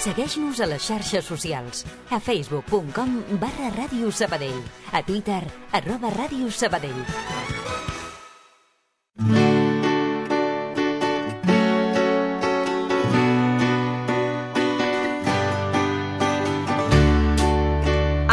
Segueix-nos a les xarxes socials. A facebook.com/Ràdio Sabadell. A Twitter, @Ràdio Sabadell.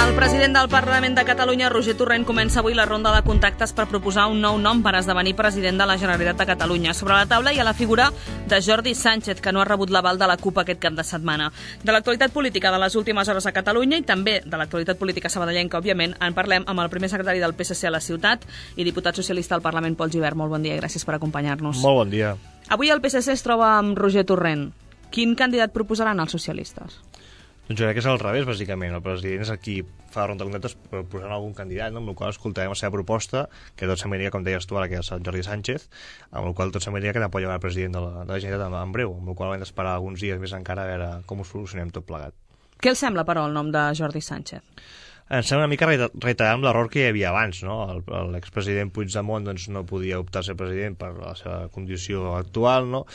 El president del Parlament de Catalunya, Roger Torrent, comença avui la ronda de contactes per proposar un nou nom per esdevenir president de la Generalitat de Catalunya. Sobre la taula hi ha la figura de Jordi Sánchez, que no ha rebut l'aval de la CUP aquest cap de setmana. De l'actualitat política de les últimes hores a Catalunya i també de l'actualitat política sabadellenca, òbviament, en parlem amb el primer secretari del PSC a la ciutat i diputat socialista al Parlament, Pol Gibert. Molt bon dia i gràcies per acompanyar-nos. Molt bon dia. Avui el PSC es troba amb Roger Torrent. Quin candidat proposaran els socialistes? Doncs jo crec que és al revés, bàsicament. El president és el qui fa la ronda de contactes posant algun candidat, no? Amb el qual escoltarem la seva proposta, que tot semblaria, com deies tu ara, que és el Jordi Sánchez, amb el qual tot semblaria que n'apoya el president de la Generalitat en breu, amb el qual hem d'esperar alguns dies més encara a veure com ho solucionem tot plegat. Què els sembla, però, el nom de Jordi Sánchez? Em sembla una mica reiterar amb l'error que hi havia abans, no? L'expresident Puigdemont doncs, no podia optar a ser president per la seva condició actual, no?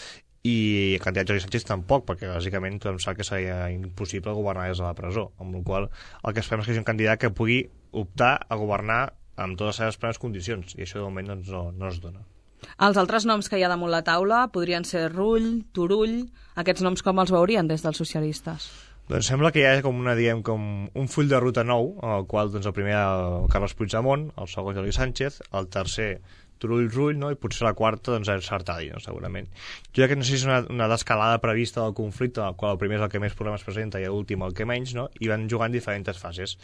I el candidat Jordi Sánchez tampoc, perquè bàsicament tothom sap que seria impossible governar des de la presó, amb la qual el que esperem és que sigui un candidat que pugui optar a governar amb totes les seves plenes condicions, i això de moment doncs, no es dona. Els altres noms que hi ha damunt la taula podrien ser Rull, Turull. Aquests noms com els veurien des dels socialistes? Doncs sembla que hi ha com un full de ruta nou, en el qual doncs, el primer el Carles Puigdemont, el segon Jordi Sánchez, el tercer Turull, no? I potser la quarta doncs, és Artadi, no? Segurament. Jo crec que no sé si és una descalada prevista del conflicte, en el qual el primer és el que més problemes presenta i l'últim el que menys, no? I van jugant diferents fases.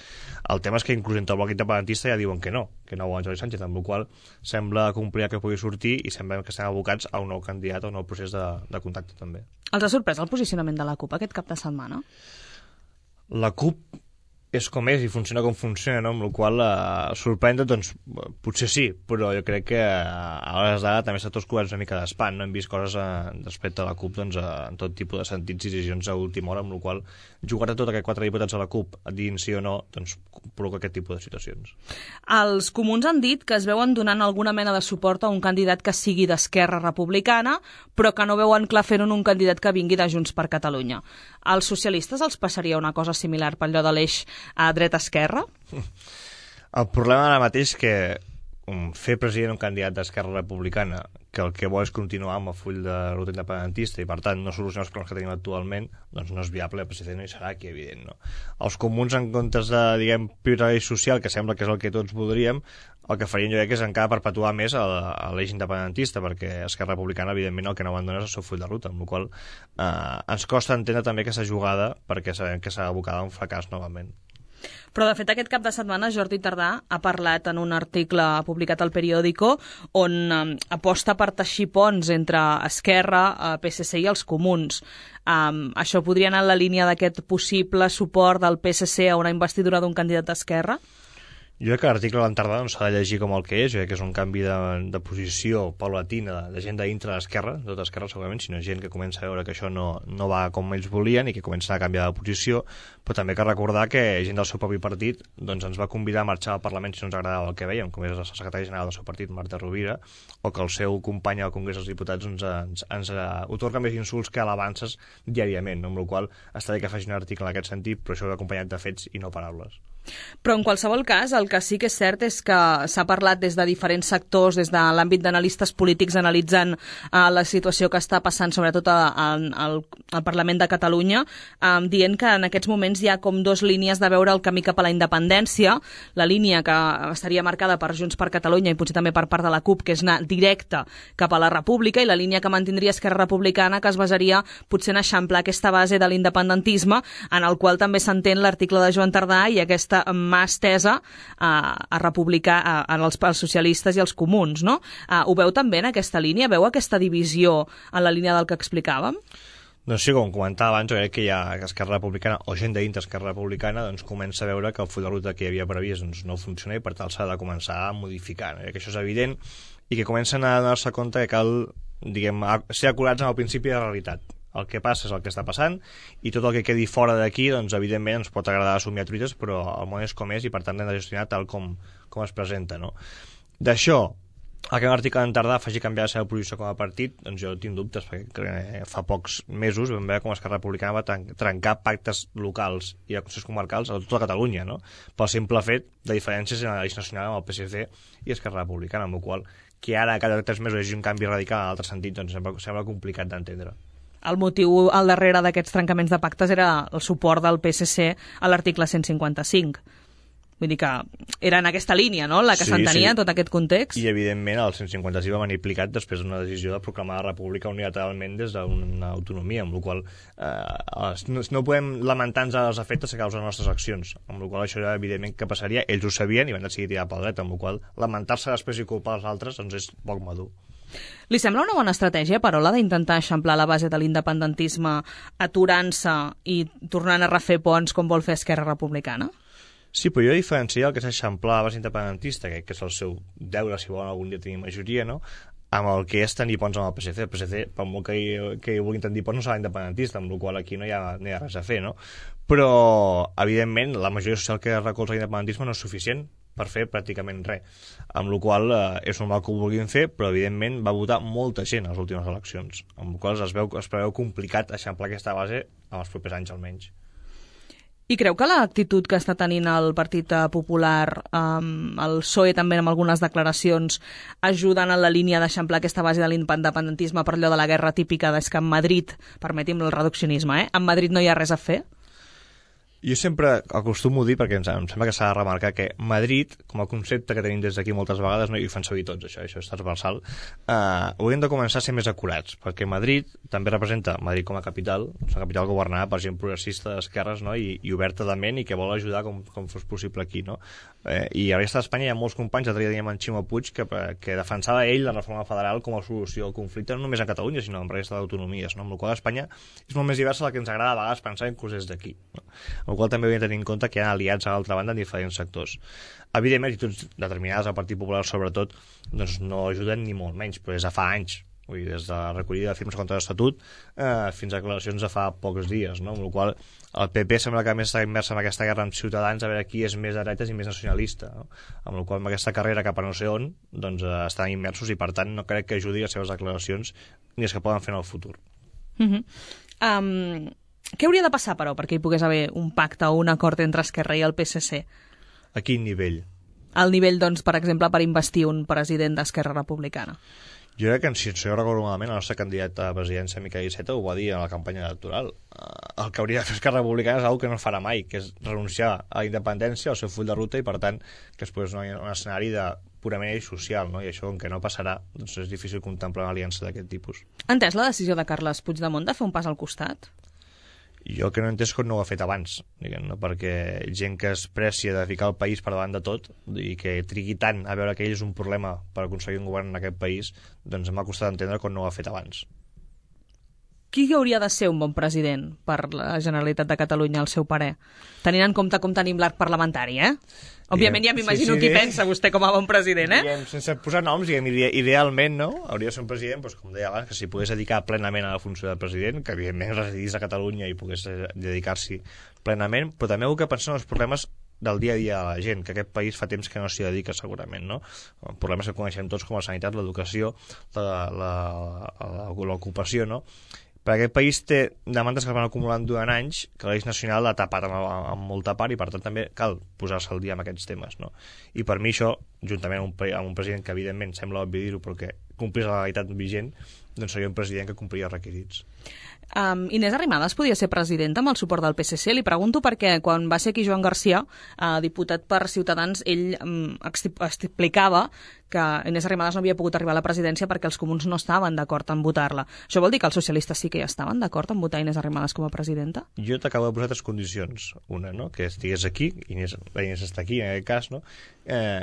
El tema és que inclús entre el bloc independentista ja diuen que no volen Jordi Sánchez, amb la qual sembla complir que pugui sortir i sembla que estem abocats a un nou candidat, a un nou procés de contacte també. Els ha sorprès el posicionament de la CUP aquest cap de setmana? La CUP és com és i funciona com funciona, no? Amb la qual sorprendre, doncs, potser sí, però jo crec que a hores d'ara també està tots coberts una mica d'espant, no? Hem vist coses respecte a la CUP doncs, en tot tipus de sentits i decisions a última hora, amb la qual jugar a tot aquests 4 diputats a la CUP, dient sí o no, doncs provoca aquest tipus de situacions. Els comuns han dit que es veuen donant alguna mena de suport a un candidat que sigui d'Esquerra Republicana, però que no veuen clar fer-ho en un candidat que vingui de Junts per Catalunya. Als socialistes els passaria una cosa similar per allò de l'eix a dreta-esquerra? El problema ara mateix és que fer president un candidat d'Esquerra Republicana que el que vol és continuar amb el full de ruta independentista i per tant no solucionar els problemes que tenim actualment, doncs no és viable, el president no hi serà aquí, evident, no? Els comuns, en comptes de, diguem, prioritari social, que sembla que és el que tots voldríem, el que farien jo crec que és encara perpetuar més l'eix independentista, perquè Esquerra Republicana, evidentment, el que no abandona és el seu full de ruta, amb la qual ens costa entendre també aquesta jugada perquè sabem que s'ha abocada a un fracàs novament. Però, de fet, aquest cap de setmana Jordi Tardà ha parlat en un article publicat al Periódico on aposta per teixir ponts entre Esquerra, PSC i els comuns. Això podria anar en la línia d'aquest possible suport del PSC a una investidura d'un candidat d'Esquerra? Jo crec que l'article de l'Entardà no s'ha de llegir com el que és, jo crec que és un canvi de posició paulatina de gent dintre l'esquerra, de tota esquerra segurament, sinó gent que comença a veure que això no va com ells volien i que comença a canviar de posició, però també cal recordar que gent del seu propi partit doncs, ens va convidar a marxar al Parlament si no ens agradava el que veiem, com és el secretari general del seu partit, Marta Rovira, o que el seu company al Congrés dels Diputats ens otorga més insults que alabances diàriament, amb la qual cosa està bé que faci un article en aquest sentit, però això va acompanyat de fets i no paraules. Però en qualsevol cas, el que sí que és cert és que s'ha parlat des de diferents sectors, des de l'àmbit d'analistes polítics analitzant la situació que està passant sobretot al Parlament de Catalunya, dient que en aquests moments hi ha com 2 línies de veure el camí cap a la independència, la línia que estaria marcada per Junts per Catalunya i potser també per part de la CUP, que és anar directe cap a la República, i la línia que mantindria Esquerra Republicana, que es basaria potser en eixamplar aquesta base de l'independentisme, en el qual també s'entén l'article de Joan Tardà i aquesta mà estesa a republicar als socialistes i als comuns, no? Ho veu també en aquesta línia? Veu aquesta divisió en la línia del que explicàvem? Doncs sí, com comentava abans, jo crec que hi ha Esquerra Republicana o gent dintre Esquerra Republicana doncs comença a veure que el full de ruta que hi havia previst doncs, no funciona i per tant s'ha de començar a modificar. No? Que això és evident i que comencen a donar-se compte que cal, diguem, ser acurats amb el principi de la realitat. El que passa és el que està passant i tot el que quedi fora d'aquí, doncs, evidentment, ens pot agradar assumir a truites, però el món és com és i, per tant, hem de gestionar tal com es presenta, no? D'això que un article en Tardà faci canviar la seva posició com a partit, doncs jo tinc dubtes, perquè fa pocs mesos vam veure com Esquerra Republicana va trencar pactes locals i de consells comarcals a tota Catalunya, no? Pel simple fet de diferències en la llei nacional amb el PSC i Esquerra Republicana, amb la qual que ara cada 3 mesos hi hagi un canvi radical en altre sentit, doncs sembla complicat d'entendre. El motiu al darrere d'aquests trencaments de pactes era el suport del PSC a l'article 155. Vull dir que era en aquesta línia, no?, la que s'entenia en tot aquest context. I, evidentment, el 155 va venir aplicat després d'una decisió de proclamar la república unilateralment des d'una autonomia, amb la qual no podem lamentar-nos dels efectes que causen les nostres accions, amb la qual això, evidentment, que passaria, ells ho sabien i van decidir tirar pel dret, amb la qual lamentar-se després i culpar els altres doncs és poc madur. Li sembla una bona estratègia, Parola, d'intentar eixamplar la base de l'independentisme aturant-se i tornant a refer ponts com vol fer Esquerra Republicana? Sí, però jo diferenciaria el que és eixamplar la base independentista, que és el seu deure, si volen algun dia tenir majoria, no?, amb el que és tenir ponts amb el PSC. El PSC, per molt que hi vulguin tenir ponts, no serà independentista, amb la qual aquí no hi ha res a fer, no? Però, evidentment, la majoria social que recolza l'independentisme no és suficient per fer pràcticament res, amb la qual és normal que ho vulguin fer, però evidentment va votar molta gent a les últimes eleccions, amb la qual es preveu complicat eixamplar aquesta base en els propers anys almenys. I creu que l'actitud que està tenint el Partit Popular, el PSOE també amb algunes declaracions, ajuden en la línia d'eixamplar aquesta base de l'independentisme per allò de la guerra típica des que en Madrid, permeti'm el reduccionisme, en Madrid no hi ha res a fer? Jo sempre acostumo a dir, perquè em sembla que s'ha de remarcar que Madrid, com a concepte que tenim des d'aquí moltes vegades, no, i ho fan servir tots, això és transversal, hauríem de començar a ser més acurats, perquè Madrid també representa Madrid com a capital, és una capital governada per gent progressista d'esquerres, no?, i oberta de ment i que vol ajudar com fos possible aquí, no? I a la resta d'Espanya hi ha molts companys, l'altre dia teníem en Ximo Puig, que defensava ell la reforma federal com a solució al conflicte, no només a Catalunya, sinó en la resta d'autonomies, no? Amb la qual Espanya és molt més diversa del que ens agrada a vegades pensar inclús des d'aquí, no? Amb la qual també hauríem de tenir en compte que hi ha aliats a l'altra banda en diferents sectors. Evidentment, actituds determinades al Partit Popular, sobretot, doncs no ajuden ni molt menys, però és a fa anys. Vull dir, des de la recollida de firmes contra l'Estatut fins a declaracions de fa pocs dies, no? Amb la qual el PP sembla que més està immers en aquesta guerra amb Ciutadans, a veure qui és més de dretes i més nacionalista, no? Amb la qual amb aquesta carrera cap a no sé on doncs, estan immersos i per tant no crec que ajudi les seves declaracions ni les que poden fer en el futur. Què hauria de passar, però, perquè hi pogués haver un pacte o un acord entre Esquerra i el PSC? A quin nivell? Al nivell, doncs, per exemple, per investir un president d'Esquerra Republicana. Jo crec que, si jo recordo malament, el nostre candidat a la presidència, Miquel Iceta, ho va dir a la campanya electoral. El que hauria de fer Esquerra Republicana és una que no farà mai, que és renunciar a la independència, al seu full de ruta, i per tant que es posi un escenari de purament social, no? I això, com que no passarà, doncs és difícil contemplar una aliança d'aquest tipus. Ha entès la decisió de Carles Puigdemont de fer un pas al costat? Jo el que no he entès que no ho ha fet abans, diguem, no? Perquè gent que es precia de ficar el país per davant de tot i que trigui tant a veure que ell és un problema per aconseguir un govern en aquest país, doncs m'ha costat entendre que no ho ha fet abans. Qui hauria de ser un bon president per la Generalitat de Catalunya, al seu parer? Tenint en compte com tenim l'arc parlamentari, Òbviament ja m'imagino qui pensa vostè com a bon president, Diguem, sense posar noms, idealment, no? Hauria de ser un president, doncs, com deia abans, que s'hi pogués dedicar plenament a la funció de president, que evidentment residís a Catalunya i pogués dedicar-s'hi plenament, però també heu que pensar en els problemes del dia a dia de la gent, que aquest país fa temps que no s'hi dedica segurament, no? Problemes que coneixem tots com la sanitat, l'educació, l'ocupació, no? Perquè aquest país té demandes que es van acumulant durant anys, que la llei nacional l'ha tapat amb molta part i per tant també cal posar-se al dia amb aquests temes, no? I per mi això, juntament amb un president que evidentment sembla obvi dir-ho però que complís la legalitat vigent, doncs seria un president que compliria els requisits. Inés Arrimadas podia ser presidenta amb el suport del PSC? Li pregunto perquè quan va ser aquí Joan Garcia, diputat per Ciutadans, ell explicava que Inés Arrimadas no havia pogut arribar a la presidència perquè els comuns no estaven d'acord en votar-la. Això vol dir que els socialistes sí que ja estaven d'acord en votar Inés Arrimadas com a presidenta? Jo t'acabo de posar 3 condicions. Una, no?, que estigués aquí, la Inés està aquí en aquest cas, no?,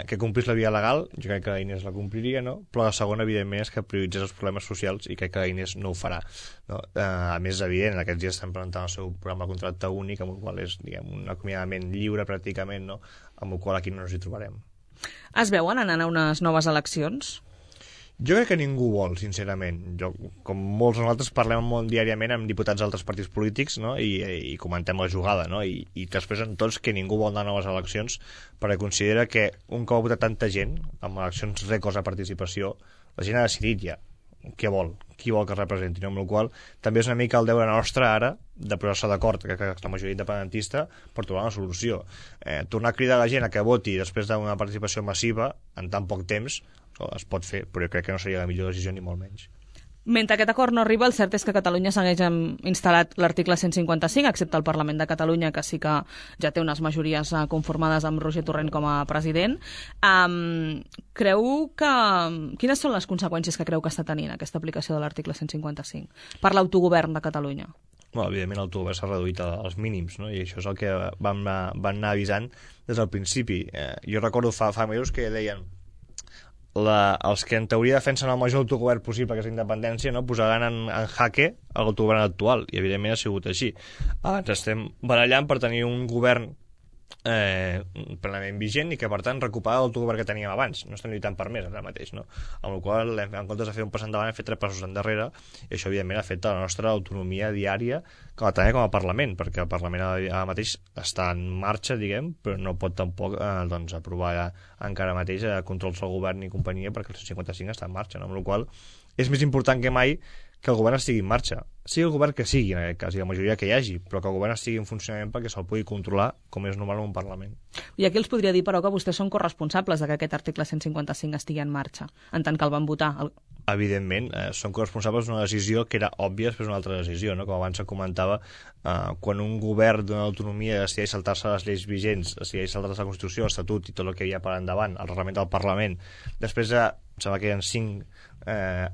que complís la via legal, jo crec que la Inés la compliria, no?, però la segona, evidentment, és que prioritzés els problemes socials i crec que la Inés no ho farà, no? A més, evident, en aquests dies estan presentant el seu programa de contracte únic, amb el qual és, diguem, un acomiadament lliure pràcticament, no?, amb el qual aquí no ens hi trobarem. Es veuen anant a unes noves eleccions? Jo crec que ningú vol, sincerament. Com molts de nosaltres parlem molt diàriament amb diputats d'altres partits polítics, no? I comentem la jugada, no? I t'expressen tots que ningú vol anar a noves eleccions perquè considera que un cop ha votat tanta gent, amb eleccions rècords de participació, la gent ha decidit ja què vol, qui vol que es representi, no? Amb la qual també és una mica el deure nostre ara de posar-se d'acord, que la majoria independentista, per trobar una solució. Tornar a cridar la gent a que voti després d'una participació massiva en tan poc temps es pot fer, però jo crec que no seria la millor decisió ni molt menys. Mentre aquest acord no arriba, el cert és que Catalunya segueix instal·lat l'article 155, excepte el Parlament de Catalunya, que sí que ja té unes majories conformades amb Roger Torrent com a president. Quines són les conseqüències que creu que està tenint aquesta aplicació de l'article 155 per l'autogovern de Catalunya? Bueno, evidentment l'autogovern s'ha reduït als mínims, no? I això és el que van anar avisant des del principi. Jo recordo fa mesos que deien els que en teoria defensen el major autogovern possible, que és la independència, no, posaran en jaque l'autogovern actual, i evidentment ha sigut així. Ens estem barallant per tenir un govern plenament vigent i que per tant recuperar l'autogovern que teníem abans. No estem lluitant per més ara mateix, no? Amb la qual cosa, en comptes de fer un pas endavant, hem fet 3 passos endarrere, i això evidentment ha fet la nostra autonomia diària també com a Parlament, perquè el Parlament ara mateix està en marxa, diguem, però no pot tampoc aprovar encara mateix controls del govern i companyia, perquè el 155 està en marxa, no? Amb la qual cosa és més important que mai que el govern estigui en marxa, sigui el govern que sigui en aquest cas, i la majoria que hi hagi, però que el govern estigui en funcionament perquè se'l pugui controlar com és normal en un Parlament. I aquí els podria dir, però, que vostès són corresponsables de que aquest article 155 estigui en marxa, en tant que el van votar. Evidentment, són corresponsables d'una decisió que era òbvia després d'una altra decisió, no? Com abans se comentava, quan un govern d'una autonomia decideix saltar-se les lleis vigents, decideix saltar-se la Constitució, l'Estatut i tot el que hi ha per endavant, el reglament del Parlament, després de, em sembla que hi ha 5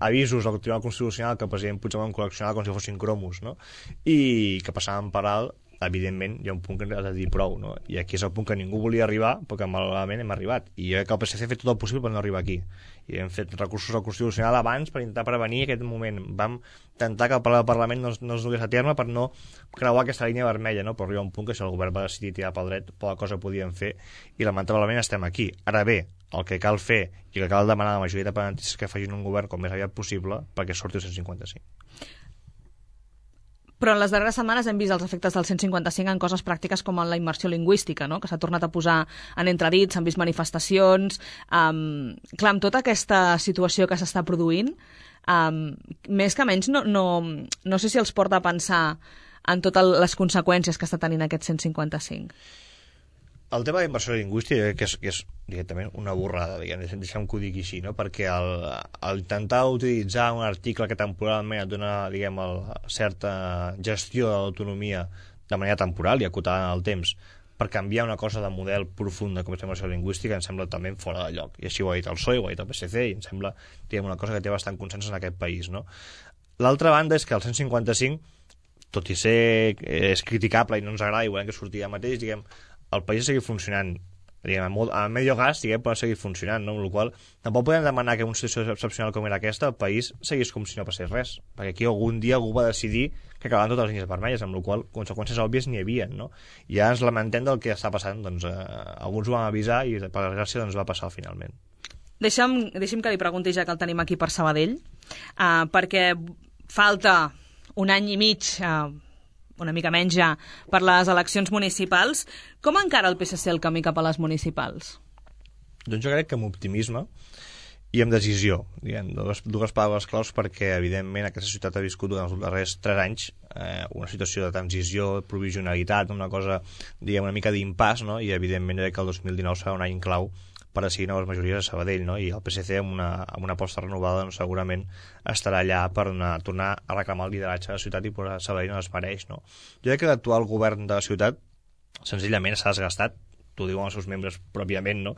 avisos del Tribunal Constitucional que el president Puigdemont col·leccionava com si fossin cromos, no? I que passaven per alt, evidentment hi ha un punt que has de dir prou, no? I aquí és el punt que ningú volia arribar, perquè malauradament hem arribat, i jo crec que el PSC ha fet tot el possible per no arribar aquí, i hem fet recursos al Constitucional abans per intentar prevenir aquest moment. Vam intentar que el Parlament no es dugués a terme per no creuar aquesta línia vermella, no? Però arriba un punt que si el govern va decidir tirar pel dret, poca cosa podien fer, i lamentablement estem aquí. Ara bé, el que cal fer i que cal demanar a la majoria d'independentistes que facin un govern com més aviat possible perquè surti el 155. Però en les darreres setmanes hem vist els efectes del 155 en coses pràctiques com en la immersió lingüística, no? Que s'ha tornat a posar en entredit, s'han vist manifestacions. Clar, amb tota aquesta situació que s'està produint, més que menys no sé si els porta a pensar en totes les conseqüències que està tenint aquest 155. El tema de la immersió lingüística que és directament una borrada, deixem que ho digui així, no? Perquè al intentar utilitzar un article que temporalment et dona, diguem, certa gestió de l'autonomia de manera temporal i acotada en el temps per canviar una cosa de model profunda com és la immersió lingüística, em sembla també fora de lloc. I així ho ha dit el PSOE, ho ha dit el PSC, i em sembla, diguem, una cosa que té bastant consens en aquest país, no? L'altra banda és que el 155, tot i ser és criticable i no ens agrada i volem que surti ja mateix, diguem, el país seguir funcionant, diguem, a medio gas, diguem, pot seguir funcionant, no? Amb la qual tampoc podem demanar que en una situació excepcional com era aquesta el país seguís com si no passés res, perquè aquí algun dia algú va decidir que acabaven totes les línies vermelles, amb la qual conseqüències òbvies n'hi havia, no? I ja ens lamentem del que està passant, doncs alguns ho van avisar i per desgràcia doncs va passar finalment. Deixem que li pregunti, ja que el tenim aquí per Sabadell, perquè falta un any i mig, una mica menys ja, per les eleccions municipals. Com encara el PSC el camí cap a les municipals? Doncs jo crec que amb optimisme i amb decisió, diguem, dues paraules claus, perquè evidentment aquesta ciutat ha viscut durant els darrers 3 anys una situació de transició, provisionalitat, una cosa, diguem, una mica d'impàs, no? I evidentment crec que el 2019 serà un any clau per decidir noves majories a Sabadell, no? I el PSC amb una aposta renovada doncs, segurament estarà allà per tornar a reclamar el lideratge de la ciutat i posar Sabadell on es mereix, no? Jo crec que l'actual govern de la ciutat senzillament s'ha desgastat, t'ho diuen els seus membres pròpiament, no?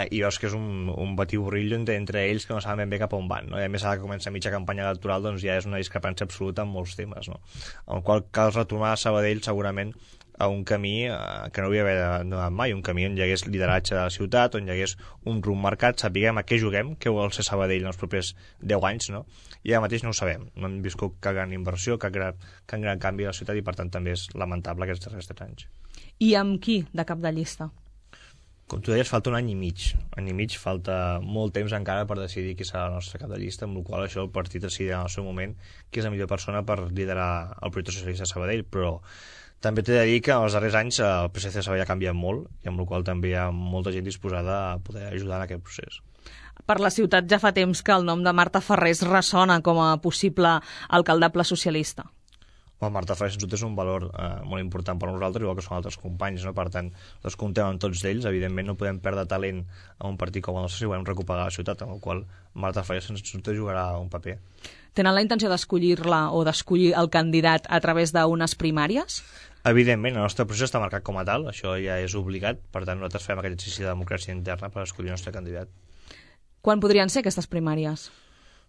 I veus que és un batiborrillo entre ells que no saben ben bé cap on van, no? I a més ara que comença mitja campanya electoral doncs ja és una discrepància absoluta en molts temes, no? En el qual cal retornar a Sabadell segurament a un camí que no havia d'haver donat mai, un camí on hi hagués lideratge de la ciutat, on hi hagués un rumb marcat, sapiguem a què juguem, què vol ser Sabadell en els propers 10 anys, no? I ara mateix no ho sabem, no hem viscut cap gran inversió, cap gran canvi a la ciutat i per tant també és lamentable aquests darrers 3 anys. I amb qui de cap de llista? Com tu deies, falta un any i mig. Any i mig, falta molt temps encara per decidir qui serà el nostre cap de llista, amb la qual això el partit decidirà en el seu moment qui és la millor persona per liderar el projecte socialista de Sabadell, però també t'he de dir que els darrers anys el PSC de Sabadell ha canviat molt i amb la qual també hi ha molta gent disposada a poder ajudar en aquest procés. Per la ciutat ja fa temps que el nom de Marta Ferrés ressona com a possible alcaldable socialista. Marta Ferrés sens dubte és un valor molt important per nosaltres, igual que són altres companys, no? Per tant, els comptem amb tots ells. Evidentment no podem perdre talent a un partit com el nostre si volem recuperar la ciutat, amb el qual Marta Ferrés sens dubte jugarà un paper. Tenen la intenció d'escollir-la o d'escollir el candidat a través d'unes primàries? Evidentment, el nostre procés està marcat com a tal, això ja és obligat, per tant nosaltres fem aquest exercici de democràcia interna per escollir el nostre candidat. Quan podrien ser aquestes primàries?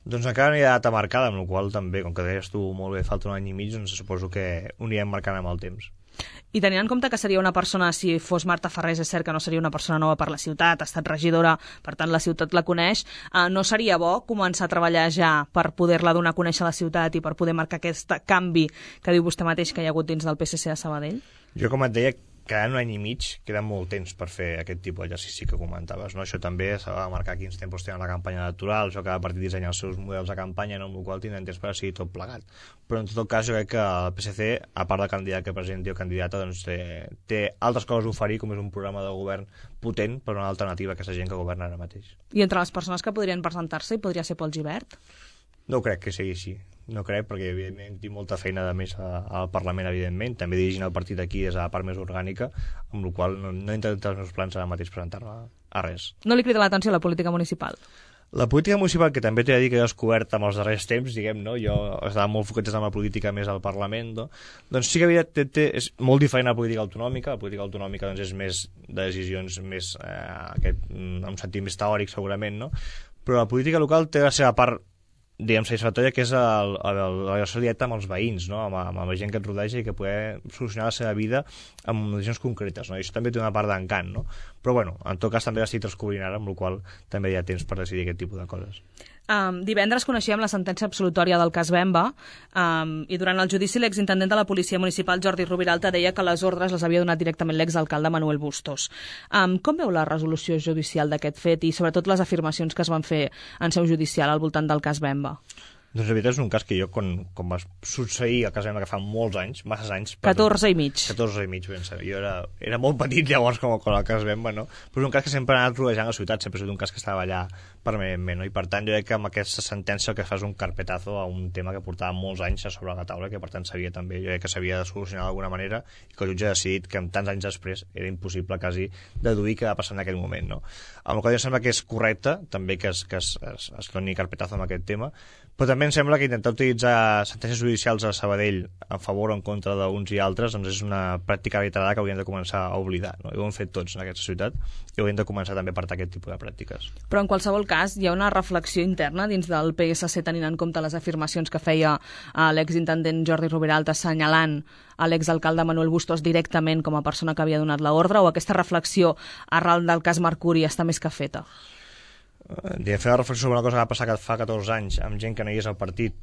Doncs encara no hi ha data marcada, amb la qual també, com que deies tu molt bé, falta un any i mig, doncs suposo que ho anirem marcant amb el temps. I tenint en compte que seria una persona, si fos Marta Ferrés, és cert que no seria una persona nova per la ciutat, ha estat regidora, per tant la ciutat la coneix, no seria bo començar a treballar ja per poder-la donar a conèixer a la ciutat i per poder marcar aquest canvi que diu vostè mateix que hi ha hagut dins del PSC de Sabadell? Jo, com et deia, quedant un any i mig, queda molt temps per fer aquest tipus d'exercici que comentaves, no? Això també s'ha de marcar quins tempos tenen la campanya electoral, això cada partit dissenya els seus models de campanya, no? Amb el qual tindran temps per decidir tot plegat. Però en tot cas jo crec que el PSC, a part del candidat que presenti o candidata, doncs té altres coses a oferir, com és un programa de govern potent per una alternativa a aquesta gent que governa ara mateix. I entre les persones que podrien presentar-se hi podria ser Pol Gibert? No crec que sigui així. No crec, perquè evidentment tinc molta feina de més al Parlament, evidentment. També dirigint el partit aquí és a la part més orgànica, amb la qual no he intentat els meus plans ara mateix presentar-me a res. No li crida l'atenció la política municipal? La política municipal, que també t'he de dir que he descobert amb els darrers temps, diguem, no? Jo estava molt focalitzat amb la política més al Parlament, no? Doncs sí que és molt diferent a la política autonòmica. La política autonòmica doncs, és més de decisions més, en un sentit més teòric, segurament, no? Però la política local té la seva part, diguem, satisfactòria, que és la relació directa amb els veïns, no? amb la gent que et rodeja i que poder solucionar la seva vida amb decisions concretes, no? I això també té una part d'encant, no? Però bueno, en tot cas també l'estic descobrint ara, amb la qual també hi ha temps per decidir aquest tipus de coses. Divendres coneixíem la sentència absolutòria del cas Bemba i durant el judici l'exintendent de la Policia Municipal Jordi Rubiralta deia que les ordres les havia donat directament l'exalcalde Manuel Bustos. Com veu la resolució judicial d'aquest fet i sobretot les afirmacions que es van fer en seu judicial al voltant del cas Bemba? Doncs la veritat és un cas que jo, quan va succeir el cas Bemba, que fa molts anys, masses anys... 14 i mig. 14 i mig, ben saber. Jo era molt petit llavors com el cas Bemba, no? Però és un cas que sempre ha anat rodejant la ciutat, sempre ha estat un cas que estava allà permanentment, no? I per tant jo crec que amb aquesta sentència el que fa és un carpetazo a un tema que portava molts anys a sobre la taula, que per tant s'havia també, jo crec que s'havia de solucionar d'alguna manera, i que el jutge ha decidit que amb tants anys després era impossible quasi deduir què va passar en aquell moment, no? Amb el qual em sembla que és correcte també que es doni carpetazo amb aquest tema, però també em sembla que intentar utilitzar sentències judicials a Sabadell a favor o en contra d'uns i altres doncs és una pràctica reiterada que hauríem de començar a oblidar, no? I ho hem fet tots en aquesta ciutat i hauríem de començar també a apartar aquest tipus de pràctiques. Però en qualsevol cas hi ha una reflexió interna dins del PSC tenint en compte les afirmacions que feia l'exintendent Jordi Rubiralta assenyalant a l'exalcalde Manuel Bustos directament com a persona que havia donat l'ordre, o aquesta reflexió arran del cas Mercuri està més que feta? Fer una reflexió sobre una cosa que va passar fa 14 anys amb gent que no hi és al partit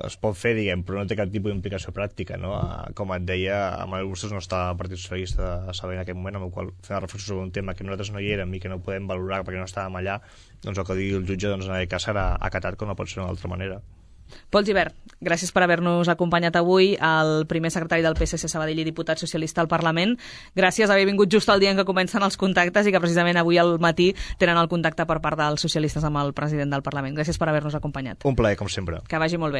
es pot fer, diguem, però no té cap tipus d'implicació pràctica, no? Com et deia, Manuel Bustos no està al Partit Socialista de Sabadell en aquest moment, amb el qual fer una reflexió sobre un tema que nosaltres no hi érem i que no podem valorar perquè no estàvem allà, doncs el que digui el jutge doncs, en aquest cas serà acatat com no pot ser d'una altra manera. Pol Gibert, gràcies per haver-nos acompanyat avui, el primer secretari del PSC Sabadell i diputat socialista al Parlament. Gràcies per haver vingut just el dia en què comencen els contactes i que precisament avui al matí tenen el contacte per part dels socialistes amb el president del Parlament. Gràcies per haver-nos acompanyat. Un plaer, com sempre. Que vagi molt bé.